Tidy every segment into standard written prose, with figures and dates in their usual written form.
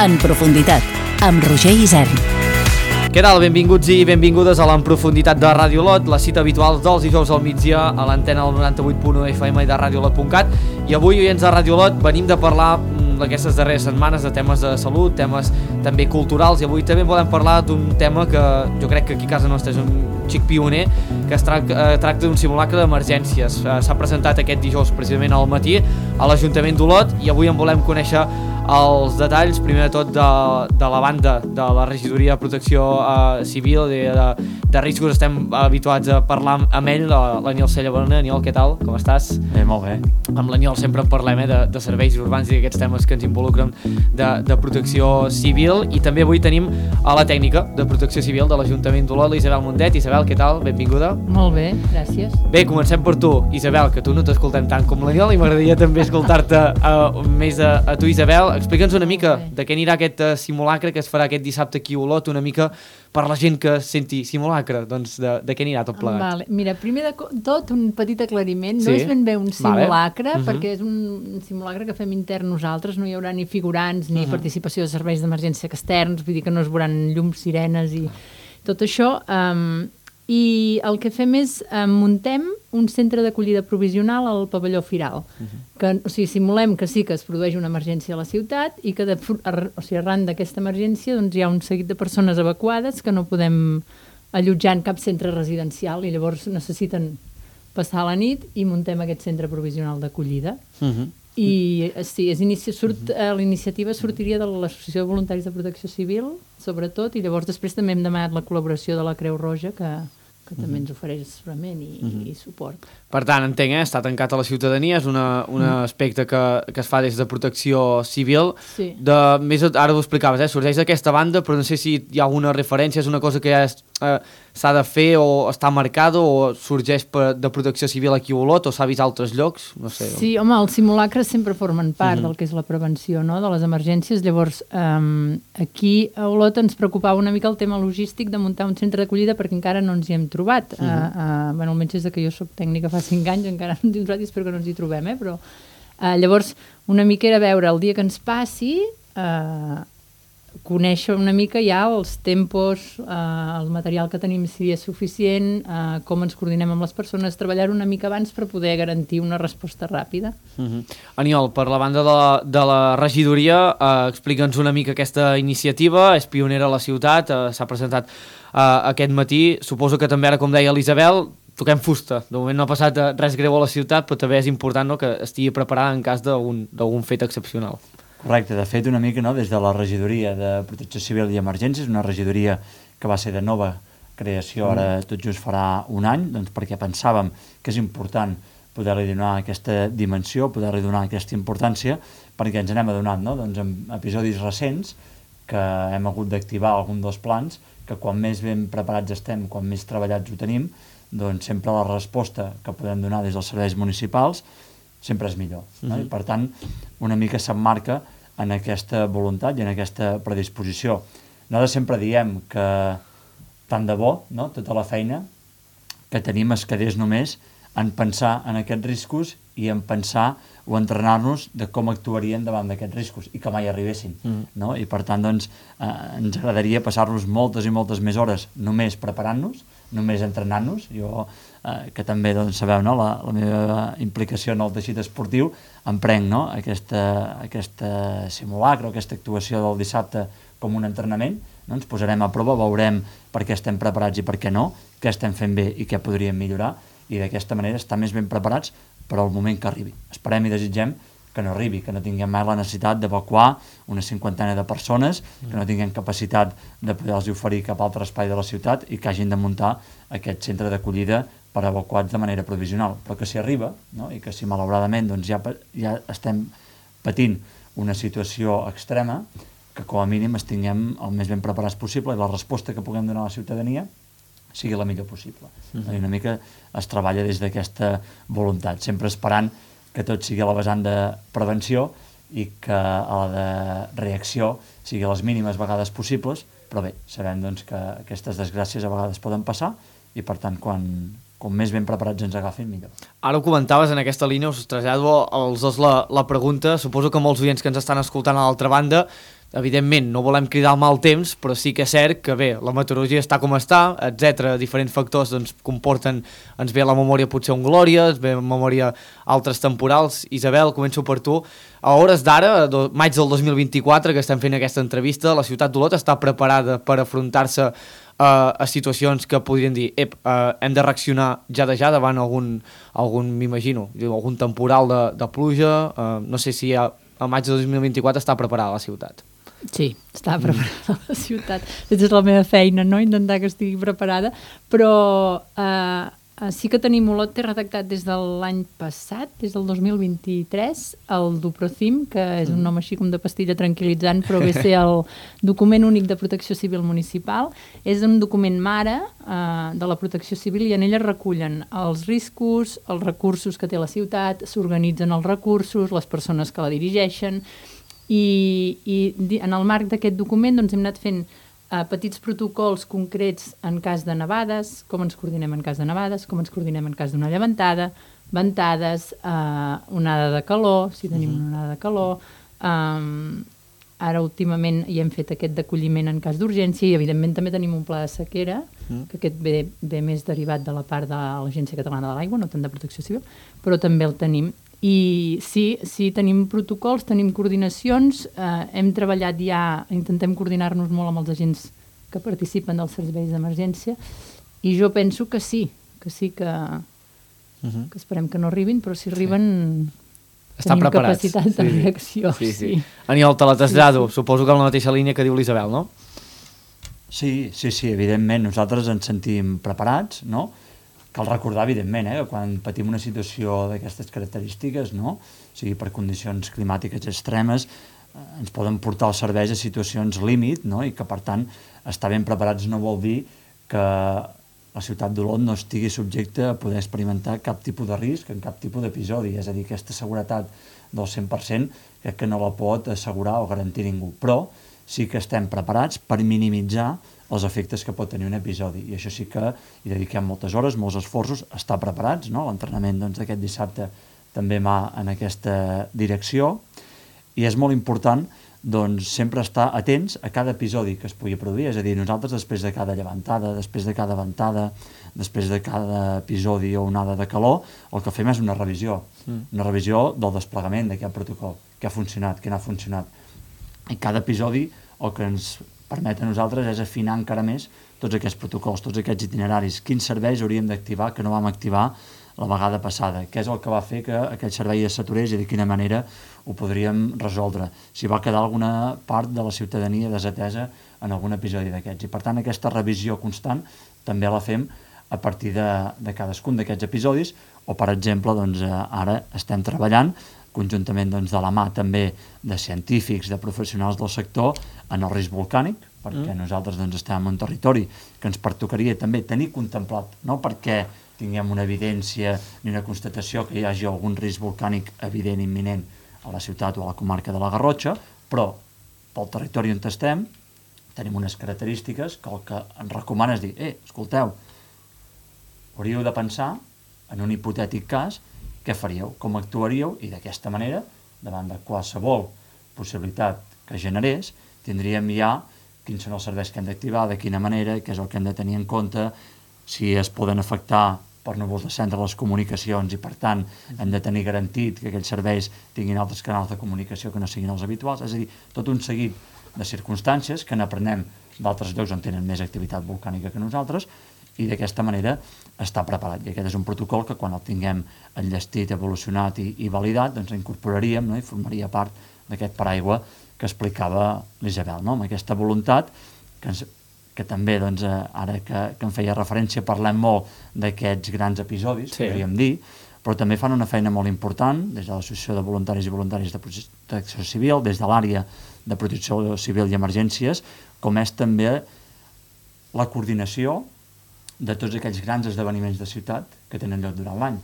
En profunditat, amb Roger Isern. Què tal? Benvinguts i benvingudes a l'En profunditat de Ràdio Olot, la cita habitual dels dijous al migdia a l'antena del 98.1 FM i de radioolot.cat. I avui, oients de Ràdio Olot, venim de parlar aquestes darreres setmanes de temes de salut, temes també culturals, i avui també podem parlar d'un tema que jo crec que aquí a casa nostra és un xic pioner, que es tracta d'un simulacre d'emergències. S'ha presentat aquest dijous precisament al matí a l'Ajuntament d'Olot i avui en volem conèixer els detalls, primer de tot de la banda de la Regidoria de Protecció Civil de riscos. Estem habituats a parlar amb ell, l'Aniol Cellabona. Aniol, què tal? Com estàs? Molt bé. Amb l'Aniol sempre en parlem de serveis urbans i d'aquests temes que ens involucren de protecció civil, i també avui tenim a la tècnica de protecció civil de l'Ajuntament d'Olot, l'Isabel Mundet. Isabel, què tal? Benvinguda. Molt bé, gràcies. Bé, comencem per tu, Isabel, que tu no t'escoltem tant com l'Aniol i m'agradaria també escoltar-te més a tu, Isabel. Explica'ns una mica de què anirà aquest simulacre que es farà aquest dissabte aquí a Olot, una mica per la gent que senti simulacre, doncs de què anirà tot plegat. Vale. Mira, primer de tot un petit aclariment, sí? No és ben bé un simulacre, vale. perquè és un simulacre que fem intern nosaltres, no hi haurà ni figurants ni participació de serveis d'emergència externs, vull dir que no es veuran llums, sirenes i tot això. I el que fem és muntem un centre d'acollida provisional al pavelló Firal, que, o sigui, simulem que sí que es produeix una emergència a la ciutat i que arran d'aquesta emergència doncs, hi ha un seguit de persones evacuades que no podem allotjar en cap centre residencial i llavors necessiten passar la nit i muntem aquest centre provisional d'acollida. I sí, la iniciativa sortiria de l'Associació de Voluntaris de Protecció Civil, sobretot, i llavors després també hem demanat la col·laboració de la Creu Roja, que també ens ofereix assessorament i suport. Per tant, entenc, està tancat a la ciutadania, és un aspecte que es fa des de Protecció Civil. Sí. Ara ho explicaves, sorgeix d'aquesta banda, però no sé si hi ha alguna referència, és una cosa que ja s'ha de fer o està marcada o sorgeix de Protecció Civil aquí a Olot o s'ha vist a altres llocs? No sé. Sí, home, els simulacres sempre formen part del que és la prevenció, no?, de les emergències. Llavors, aquí a Olot ens preocupava una mica el tema logístic de muntar un centre d'acollida perquè encara no ens hi hem trobat. Bueno, almenys des que jo soc tècnica fa 5 anys encara no ens hi hem trobat i espero que no ens hi trobem, però llavors una mica era veure el dia que ens passi, conèixer una mica ja els tempos, el material que tenim si és suficient, com ens coordinem amb les persones, treballar una mica abans per poder garantir una resposta ràpida. Aniol, per la banda de la regidoria, explica'ns una mica aquesta iniciativa, és pionera a la ciutat, s'ha presentat aquest matí, suposo que també ara, com deia l'Isabel, toquem fusta. De moment no ha passat res greu a la ciutat, però també és important, no?, que estigui preparada en cas d'algun fet excepcional. Correcte, de fet una mica, no?, des de la Regidoria de Protecció Civil i Emergències, una regidoria que va ser de nova creació, ara tot just farà un any, doncs perquè pensàvem que és important poder-li donar aquesta dimensió, poder-li donar aquesta importància, perquè ens n'hem adonat, no?, doncs en episodis recents que hem hagut d'activar algun dels plans, que quan més ben preparats estem, quan més treballats ho tenim, doncs sempre la resposta que podem donar des dels serveis municipals sempre és millor, no? I per tant una mica s'emmarca en aquesta voluntat i en aquesta predisposició. Nosaltres sempre diem que tant de bo, no?, tota la feina que tenim es quedés només en pensar en aquests riscos i en pensar o entrenar-nos de com actuarien davant d'aquests riscos i que mai arribessin, no? I per tant doncs ens agradaria passar-nos moltes i moltes més hores només preparant-nos, només entrenant-nos. Jo, que també doncs, sabeu, no?, la meva implicació en el teixit esportiu, em prenc, no?, aquesta simulacre o aquesta actuació del dissabte com un entrenament, no? Ens posarem a prova, veurem per què estem preparats i per què no, què estem fent bé i què podríem millorar, i d'aquesta manera estar més ben preparats per al moment que arribi. Esperem i desitgem que no arribi, que no tinguem mai la necessitat d'evacuar una 50ena de persones, que no tinguem capacitat de poder-los oferir cap altre espai de la ciutat i que hagin de muntar aquest centre d'acollida per evacuats de manera provisional. Però que si arriba, no?, i que si malauradament doncs, ja estem patint una situació extrema, que com a mínim estiguem el més ben preparats possible i la resposta que puguem donar a la ciutadania sigui la millor possible. I una mica es treballa des d'aquesta voluntat, sempre esperant que tot sigui a la vessant de prevenció i que a la de reacció sigui a les mínimes vegades possibles, però bé, sabem doncs, que aquestes desgràcies a vegades poden passar i per tant quan més ben preparats ens agafin, millor. Ara ho comentaves, en aquesta línia us trasllado als dos la pregunta. Suposo que molts oients que ens estan escoltant a l'altra banda evidentment no volem cridar el mal temps, però sí que és cert que bé, la meteorologia està com està, etc. Diferents factors doncs, comporten, ens ve a la memòria potser un Glòria, ens ve a la memòria altres temporals. Isabel, començo per tu. A hores d'ara, maig del 2024, que estem fent aquesta entrevista, la ciutat d'Olot està preparada per afrontar-se a situacions que podrien dir hem de reaccionar ja davant algun m'imagino, algun temporal de pluja, no sé si a maig de 2024 està preparada la ciutat. Sí, està preparada la ciutat. És la meva feina, no? Intentar que estigui preparada, però sí que tenim Olot té redactat des de l'any passat, des del 2023, el Duprocim, que és un nom així com de pastilla tranquil·litzant, però ve a ser el document únic de protecció civil municipal. És un document mare de la protecció civil i en ella recullen els riscos, els recursos que té la ciutat, s'organitzen els recursos, les persones que la dirigeixen, i en el marc d'aquest document doncs, hem anat fent petits protocols concrets en cas de nevades, com ens coordinem en cas de nevades, com ens coordinem en cas d'una llevantada, ventades, onada de calor, si tenim una onada de calor. Ara últimament hi hem fet aquest d'acolliment en cas d'urgència i evidentment també tenim un pla de sequera, que aquest ve més derivat de la part de l'Agència Catalana de l'Aigua, no tant de protecció civil, però també el tenim. I sí, tenim protocols, tenim coordinacions, hem treballat ja, intentem coordinar-nos molt amb els agents que participen dels serveis d'emergència i jo penso que sí, que esperem que no arribin, però si arriben tenim capacitat de reacció. Sí. Aniol, te la trasllado, suposo que en la mateixa línia que diu l'Isabel, no? Sí, evidentment, nosaltres ens sentim preparats, no? Cal recordar, evidentment, que quan patim una situació d'aquestes característiques, no? O sigui, per condicions climàtiques extremes, ens poden portar els serveis a situacions límit, no? I que, per tant, estar ben preparats no vol dir que la ciutat d'Olot no estigui subjecte a poder experimentar cap tipus de risc en cap tipus d'episodi. És a dir, aquesta seguretat del 100% crec que no la pot assegurar o garantir ningú. Però sí que estem preparats per minimitzar els efectes que pot tenir un episodi, i això sí que hi dediquem moltes hores, molts esforços, estar preparats, no? L'entrenament d'aquest dissabte també va en aquesta direcció, i és molt important sempre estar atents a cada episodi que es pugui produir, és a dir, nosaltres després de cada llevantada, després de cada ventada, després de cada episodi o onada de calor, el que fem és una revisió del desplegament d'aquest protocol, què ha funcionat, què no ha funcionat. En cada episodi el que ens permet a nosaltres és afinar encara més tots aquests protocols, tots aquests itineraris, quins serveis hauríem d'activar que no vam activar la vegada passada, què és el que va fer que aquell servei es saturés i de quina manera ho podríem resoldre, si va quedar alguna part de la ciutadania desatesa en algun episodi d'aquests. I per tant aquesta revisió constant també la fem a partir de cadascun d'aquests episodis, o per exemple ara estem treballant conjuntament de la mà també de científics, de professionals del sector en el risc volcànic, perquè nosaltres estem en un territori que ens pertocaria també tenir contemplat, no perquè tinguem una evidència ni una constatació que hi hagi algun risc volcànic evident imminent a la ciutat o a la comarca de la Garrotxa, però pel territori on estem tenim unes característiques que el que ens recomana és dir, escolteu, hauríeu de pensar en un hipotètic cas què faríeu, com actuaríeu, i d'aquesta manera, davant de qualsevol possibilitat que generés, tindríem ja quins són els serveis que hem d'activar, de quina manera, què és el que hem de tenir en compte, si es poden afectar per núvols de centre les comunicacions i, per tant, hem de tenir garantit que aquells serveis tinguin altres canals de comunicació que no siguin els habituals. És a dir, tot un seguit de circumstàncies que n'aprenem d'altres llocs on tenen més activitat volcànica que nosaltres, i d'aquesta manera està preparat. I aquest és un protocol que quan el tinguem enllestit, evolucionat i validat, incorporaríem, no? I formaria part d'aquest paraigua que explicava l'Isabel, no? Amb aquesta voluntat que també, ara que em feia referència, parlem molt d'aquests grans episodis, podríem dir, però també fan una feina molt important des de l'Associació de Voluntaris i Voluntàries de Protecció Civil, des de l'àrea de Protecció Civil i Emergències, com és també la coordinació de tots aquells grans esdeveniments de ciutat que tenen lloc durant l'any.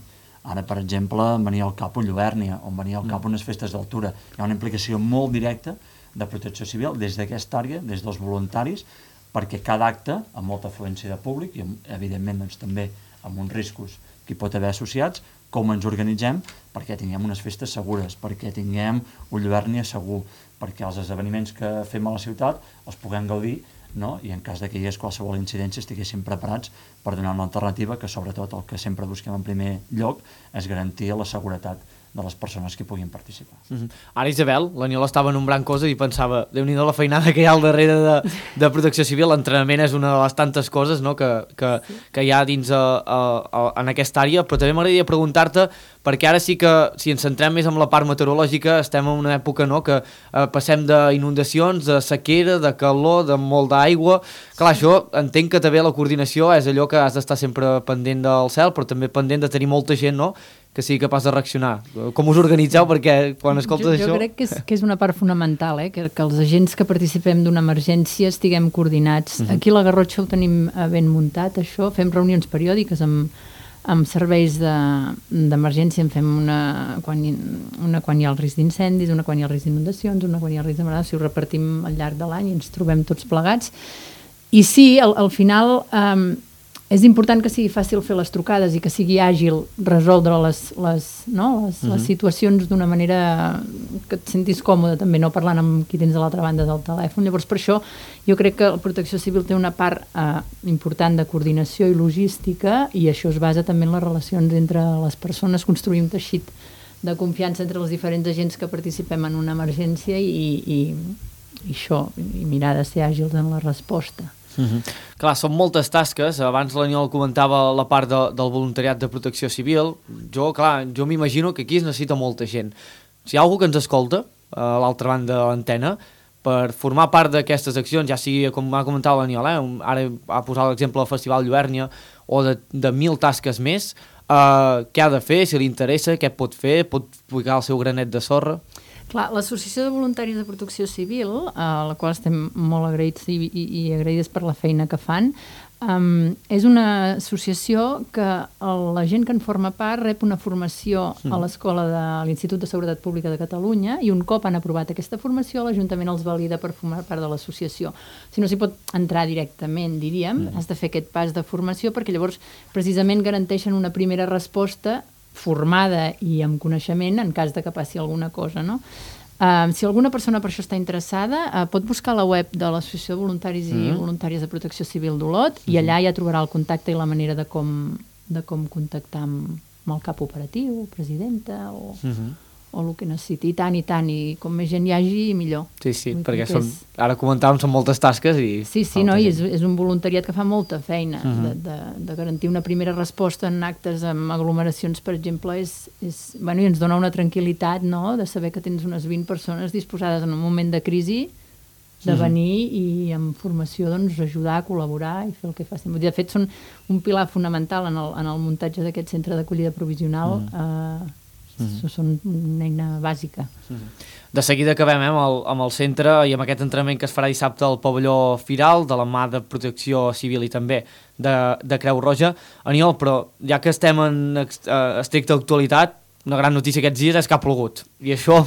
Ara, per exemple, venia al cap un Lluèrnia, on venia al cap unes festes d'altura. Hi ha una implicació molt directa de protecció civil des d'aquesta àrea, des dels voluntaris, perquè cada acte, amb molta afluència de públic i, evidentment, també amb uns riscos que hi pot haver associats, com ens organitzem perquè tinguem unes festes segures, perquè tinguem un Lluernia segur, perquè els esdeveniments que fem a la ciutat els puguem gaudir, no? I en cas que hi hagués qualsevol incidència estiguéssim preparats per donar una alternativa que sobretot el que sempre busquem en primer lloc és garantir la seguretat de les persones que puguin participar. Ara, Isabel, l'Aniol estava nombrant coses i pensava, Déu-n'hi-do la feinada que hi ha al darrere de Protecció Civil. L'entrenament és una de les tantes coses, no?, que hi ha dins en aquesta àrea, però també m'agradaria preguntar-te, perquè ara sí que, si ens centrem més en la part meteorològica, estem en una època, no?, que passem d'inundacions, de sequera, de calor, de molt d'aigua. Clar, això entenc que també la coordinació és allò que has d'estar sempre pendent del cel, però també pendent de tenir molta gent, no?, que sigui capaç de reaccionar. Com us organitzeu? Perquè quan escoltes això... Jo crec que és una part fonamental, que els agents que participem d'una emergència estiguem coordinats. Aquí a la Garrotxa ho tenim ben muntat, això. Fem reunions periòdiques amb serveis d'emergència. En fem una quan hi ha el risc d'incendis, una quan hi ha el risc d'inundacions, una quan hi ha el risc de malalties. Ho repartim al llarg de l'any i ens trobem tots plegats. I sí, al final... és important que sigui fàcil fer les trucades i que sigui àgil resoldre les situacions d'una manera que et sentis còmode, també no parlant amb qui tens a l'altra banda del telèfon. Llavors, per això, jo crec que la Protecció Civil té una part important de coordinació i logística, i això es basa també en les relacions entre les persones, construir un teixit de confiança entre els diferents agents que participem en una emergència i això, i mirar de ser àgils en la resposta. Clar, són moltes tasques. Abans l'Aniol comentava la part del voluntariat de Protecció Civil. Jo m'imagino que aquí es necessita molta gent. Si hi ha algú que ens escolta a l'altra banda de l'antena per formar part d'aquestes accions, ja sigui, com ha comentat l'Aniol, ara ha posat l'exemple del Festival Lluernia o de 1000 tasques més, què ha de fer, si li interessa, què pot fer, pot ficar el seu granet de sorra? Clar, l'Associació de Voluntaris de Protecció Civil, a la qual estem molt agraïts i agraïdes per la feina que fan, és una associació que la gent que en forma part rep una formació a l'escola de l'Institut de Seguretat Pública de Catalunya, i un cop han aprovat aquesta formació, l'Ajuntament els valida per formar part de l'associació. Si no s'hi pot entrar directament, diríem, has de fer aquest pas de formació, perquè llavors precisament garanteixen una primera resposta formada i amb coneixement en cas de que passi alguna cosa, no? Si alguna persona per això està interessada, pot buscar la web de l'Associació de Voluntaris i Voluntàries de Protecció Civil d'Olot, i allà ja trobarà el contacte i la manera de com contactar amb el cap operatiu, presidenta o el que necessiti. I tant, i com més gent hi hagi, millor. Sí, perquè ara comentàvem, són moltes tasques i... Sí, no, i és un voluntariat que fa molta feina. De garantir una primera resposta en actes amb aglomeracions, per exemple, i ens dona una tranquil·litat, no?, de saber que tens unes 20 persones disposades en un moment de crisi de venir i amb formació doncs ajudar, col·laborar i fer el que facin. De fet, són un pilar fonamental en el muntatge d'aquest centre d'acollida provisional. Són una eina bàsica. De seguida acabem amb el centre i amb aquest entrenament que es farà dissabte al pavelló Firal, de la mà de Protecció Civil i també de Creu Roja. Aniol, però ja que estem en estricta actualitat, una gran notícia aquests dies és que ha plogut, i això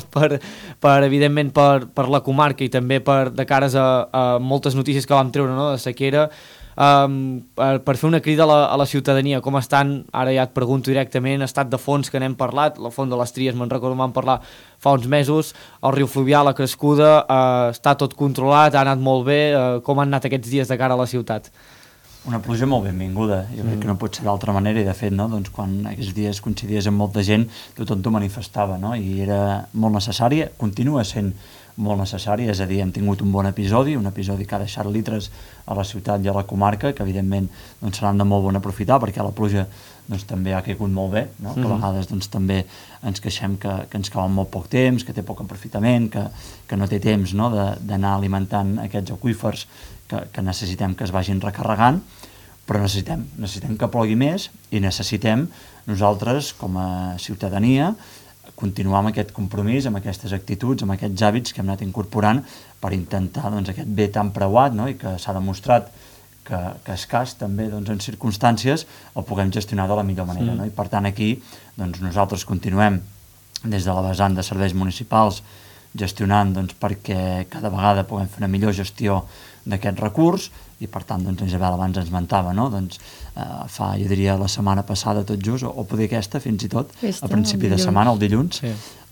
evidentment per la comarca i també de cares a moltes notícies que vam treure, no?, de sequera, per fer una crida a la ciutadania. Com estan, ara ja et pregunto directament, estat de fons que n'hem parlat, la font de les Tries me'n recordo vam parlar fa uns mesos, el riu fluvial, la crescuda, està tot controlat, ha anat molt bé, com han anat aquests dies de cara a la ciutat? Una pluja molt benvinguda, jo crec que no pot ser d'altra manera, i de fet, no, doncs, quan aquests dies coincidies amb molta gent, tothom t'ho manifestava, no? I era molt necessària, continua sent molt necessària, és a dir, hem tingut un bon episodi que ha deixat litres a la ciutat i a la comarca, que evidentment doncs, seran de molt bon aprofitar, perquè la pluja doncs, també ha caigut molt bé, no? Que a vegades doncs, també ens queixem que ens cau en molt poc temps, que té poc aprofitament, que no té temps, no?, d'anar alimentant aquests aqüífers que necessitem que es vagin recarregant, però necessitem que plogui més, i necessitem nosaltres, com a ciutadania, continuar amb aquest compromís, amb aquestes actituds, amb aquests hàbits que hem anat incorporant per intentar doncs, aquest bé tan preuat, no?, i que s'ha demostrat que escàs també doncs, en circumstàncies el puguem gestionar de la millor manera. No? I per tant aquí doncs, nosaltres continuem des de la vessant de serveis municipals gestionant doncs, perquè cada vegada puguem fer una millor gestió d'aquest recurs i per tant doncs, Isabel abans ens mentava, no? Doncs, fa, jo diria, la setmana passada tot just, o poder aquesta fins i tot, a principi de setmana, el dilluns,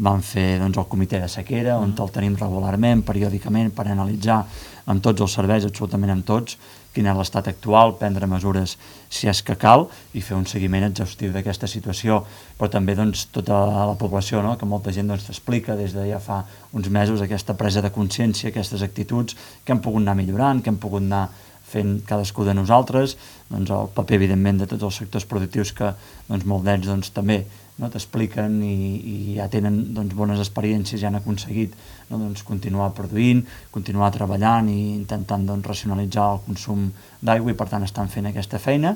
vam fer doncs, el comitè de sequera, on el tenim regularment, periòdicament, per analitzar amb tots els serveis, absolutament amb tots, quin és l'estat actual, prendre mesures si és que cal i fer un seguiment exhaustiu d'aquesta situació, però també doncs, tota la població, no? Que molta gent doncs, t'explica des de ja fa uns mesos aquesta presa de consciència, aquestes actituds que hem pogut anar millorant, que hem pogut anar fent cadascú de nosaltres, doncs, el paper evidentment de tots els sectors productius que doncs, molts d'ells doncs, també no, t'expliquen i ja tenen doncs, bones experiències i han aconseguit no, doncs, continuar produint, continuar treballant i intentant doncs, racionalitzar el consum d'aigua i per tant estan fent aquesta feina.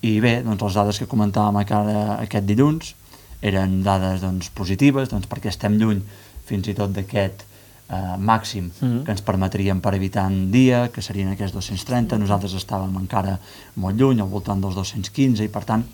I bé, doncs, les dades que comentàvem aquest dilluns eren dades doncs, positives doncs, perquè estem lluny fins i tot d'aquest màxim que ens permetrien per habitant dia, que serien aquests 230, nosaltres estàvem encara molt lluny, al voltant dels 215 i per tant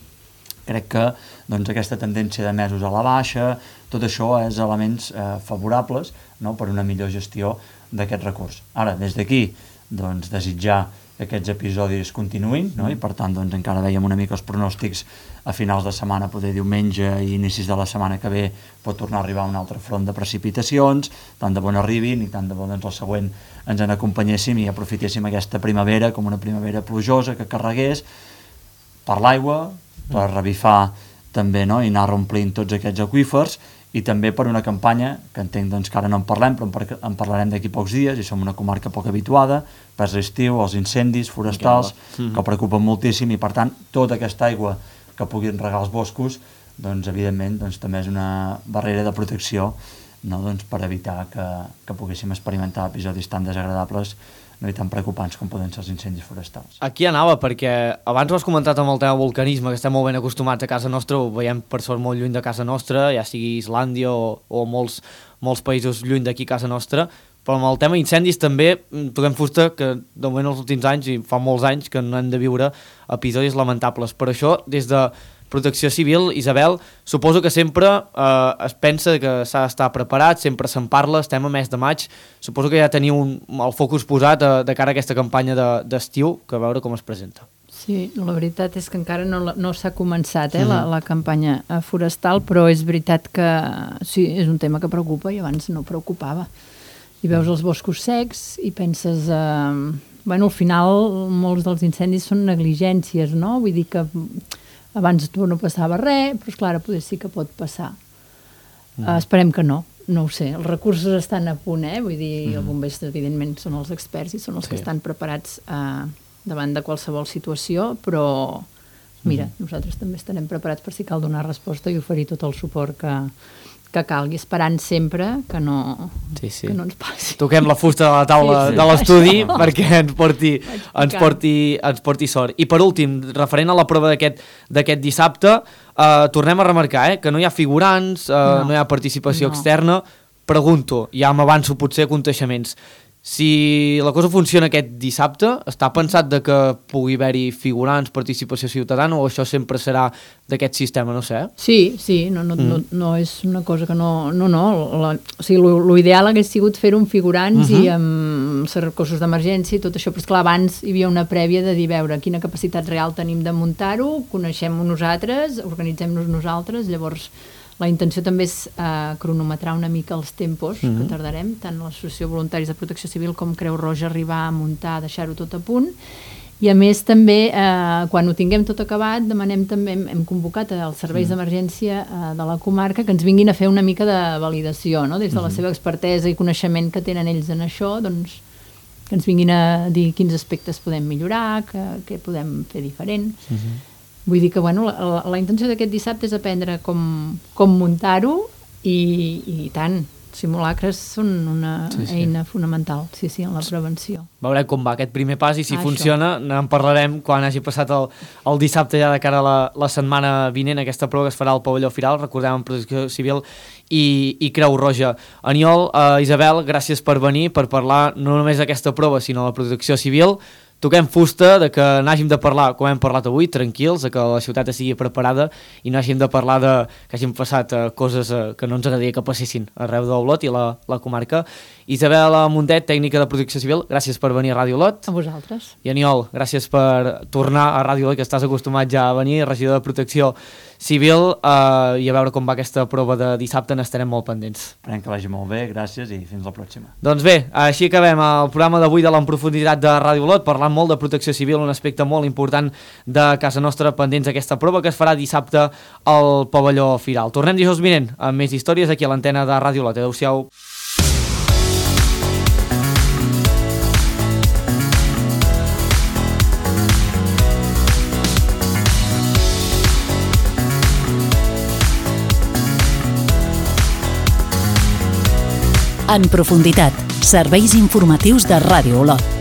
crec que doncs, aquesta tendència de mesos a la baixa, tot això és elements favorables no, per una millor gestió d'aquest recurs. Ara, des d'aquí, doncs, desitjar que aquests episodis continuïn no? I per tant doncs, encara veiem una mica els pronòstics a finals de setmana, poder diumenge i inicis de la setmana que ve pot tornar a arribar un altre front de precipitacions, tant de bon arribin i tant de bon doncs, el següent ens en acompanyéssim i aprofitéssim aquesta primavera com una primavera plujosa que carregués per l'aigua, per revifar també no? I anar reomplint tots aquests aqüífers i també per una campanya que entenc doncs, que ara no en parlem però en parlarem d'aquí pocs dies i som una comarca poc habituada per l'estiu, els incendis forestals que preocupen moltíssim i per tant tota aquesta aigua que puguin regar els boscos doncs evidentment doncs, també és una barrera de protecció no? Doncs, per evitar que poguéssim experimentar episodis tan desagradables no? I tan preocupants com poden ser els incendis forestals. Aquí anava, perquè abans ho has comentat amb el tema vulcanisme, que estem molt ben acostumats a casa nostra, ho veiem per sort molt lluny de casa nostra, ja sigui Islàndia o molts països lluny d'aquí casa nostra, però amb el tema incendis també toquem fusta que de moment els últims anys, i fa molts anys, que no hem de viure episodis lamentables. Per això, des de Protecció Civil, Isabel, suposo que sempre es pensa que s'ha d'estar preparat, sempre se'n parla, estem a mes de maig, suposo que ja teniu el focus posat de cara a aquesta campanya d'estiu, que a veure com es presenta. Sí, la veritat és que encara no s'ha començat la campanya forestal, però és veritat que sí, és un tema que preocupa i abans no preocupava. I veus els boscos secs i penses... Bueno, al final molts dels incendis són negligències, no? Vull dir que abans no passava res, però esclar, potser sí que pot passar. Esperem que no ho sé. Els recursos estan a punt, vull dir, els bombers evidentment són els experts i són els que estan preparats davant de qualsevol situació, però mira, nosaltres també estarem preparats per si cal donar resposta i oferir tot el suport que calgui, esperant sempre que no ens passi. Toquem la fusta de la taula de l'estudi perquè ens porti sort. I per últim, referent a la prova d'aquest dissabte, tornem a remarcar que no hi ha figurants, no hi ha participació externa. Pregunto, ja m'avanço potser a contaixements, si la cosa funciona aquest dissabte, està pensat de que pugui haver-hi figurants, participació ciutadana, o això sempre serà d'aquest sistema, no sé? Sí, no és una cosa que no. O sigui, l'ideal hagués sigut fer-ho amb figurants i amb els recursos d'emergència i tot això, però esclar, abans hi havia una prèvia de dir, veure, quina capacitat real tenim de muntar-ho, coneixem-ho nosaltres, organitzem-nos nosaltres, llavors la intenció també és cronometrar una mica els tempos que tardarem, tant l'Associació de Voluntaris de Protecció Civil com Creu Roja, arribar a muntar, deixar-ho tot a punt. I a més també, quan ho tinguem tot acabat, demanem també, hem convocat els serveis d'emergència de la comarca que ens vinguin a fer una mica de validació, no? Des de la seva expertesa i coneixement que tenen ells en això, doncs que ens vinguin a dir quins aspectes podem millorar, què podem fer diferent. Vull dir que bueno, la intenció d'aquest dissabte és aprendre com muntar-ho i tant, simulacres són una eina fonamental, en la prevenció. Veurem com va aquest primer pas i si funciona en parlarem quan hagi passat el dissabte ja de cara a la setmana vinent, aquesta prova que es farà al pavelló Firal, recordem en Protecció Civil i Creu Roja. Aniol, Isabel, gràcies per venir, per parlar no només d'aquesta prova sinó de la Protecció Civil. toquem fusta de que n'hàgim de parlar, com hem parlat avui, tranquils, de que la ciutat estigui preparada i no hàgim de parlar de que hagin passat coses que no ens agradaria que passessin arreu d'Olot i la comarca. Isabel Mundet, tècnica de Protecció Civil, gràcies per venir a Ràdio Olot. A vosaltres. I Aniol, gràcies per tornar a Ràdio Olot, que estàs acostumat ja a venir, regidor de Protecció Civil, i a veure com va aquesta prova de dissabte, n'estarem molt pendents. Esperem que vagi molt bé, gràcies i fins la pròxima. Doncs bé, així acabem el programa d'avui de l'En Profunditat de Ràdio Olot, parlant molt de protecció civil, un aspecte molt important de casa nostra, pendents d'aquesta prova que es farà dissabte al pavelló Firal. Tornem dijous vinent amb més històries aquí a l'antena de Ràdio Olot. Adéu-siau. En profunditat, serveis informatius de Ràdio Olot.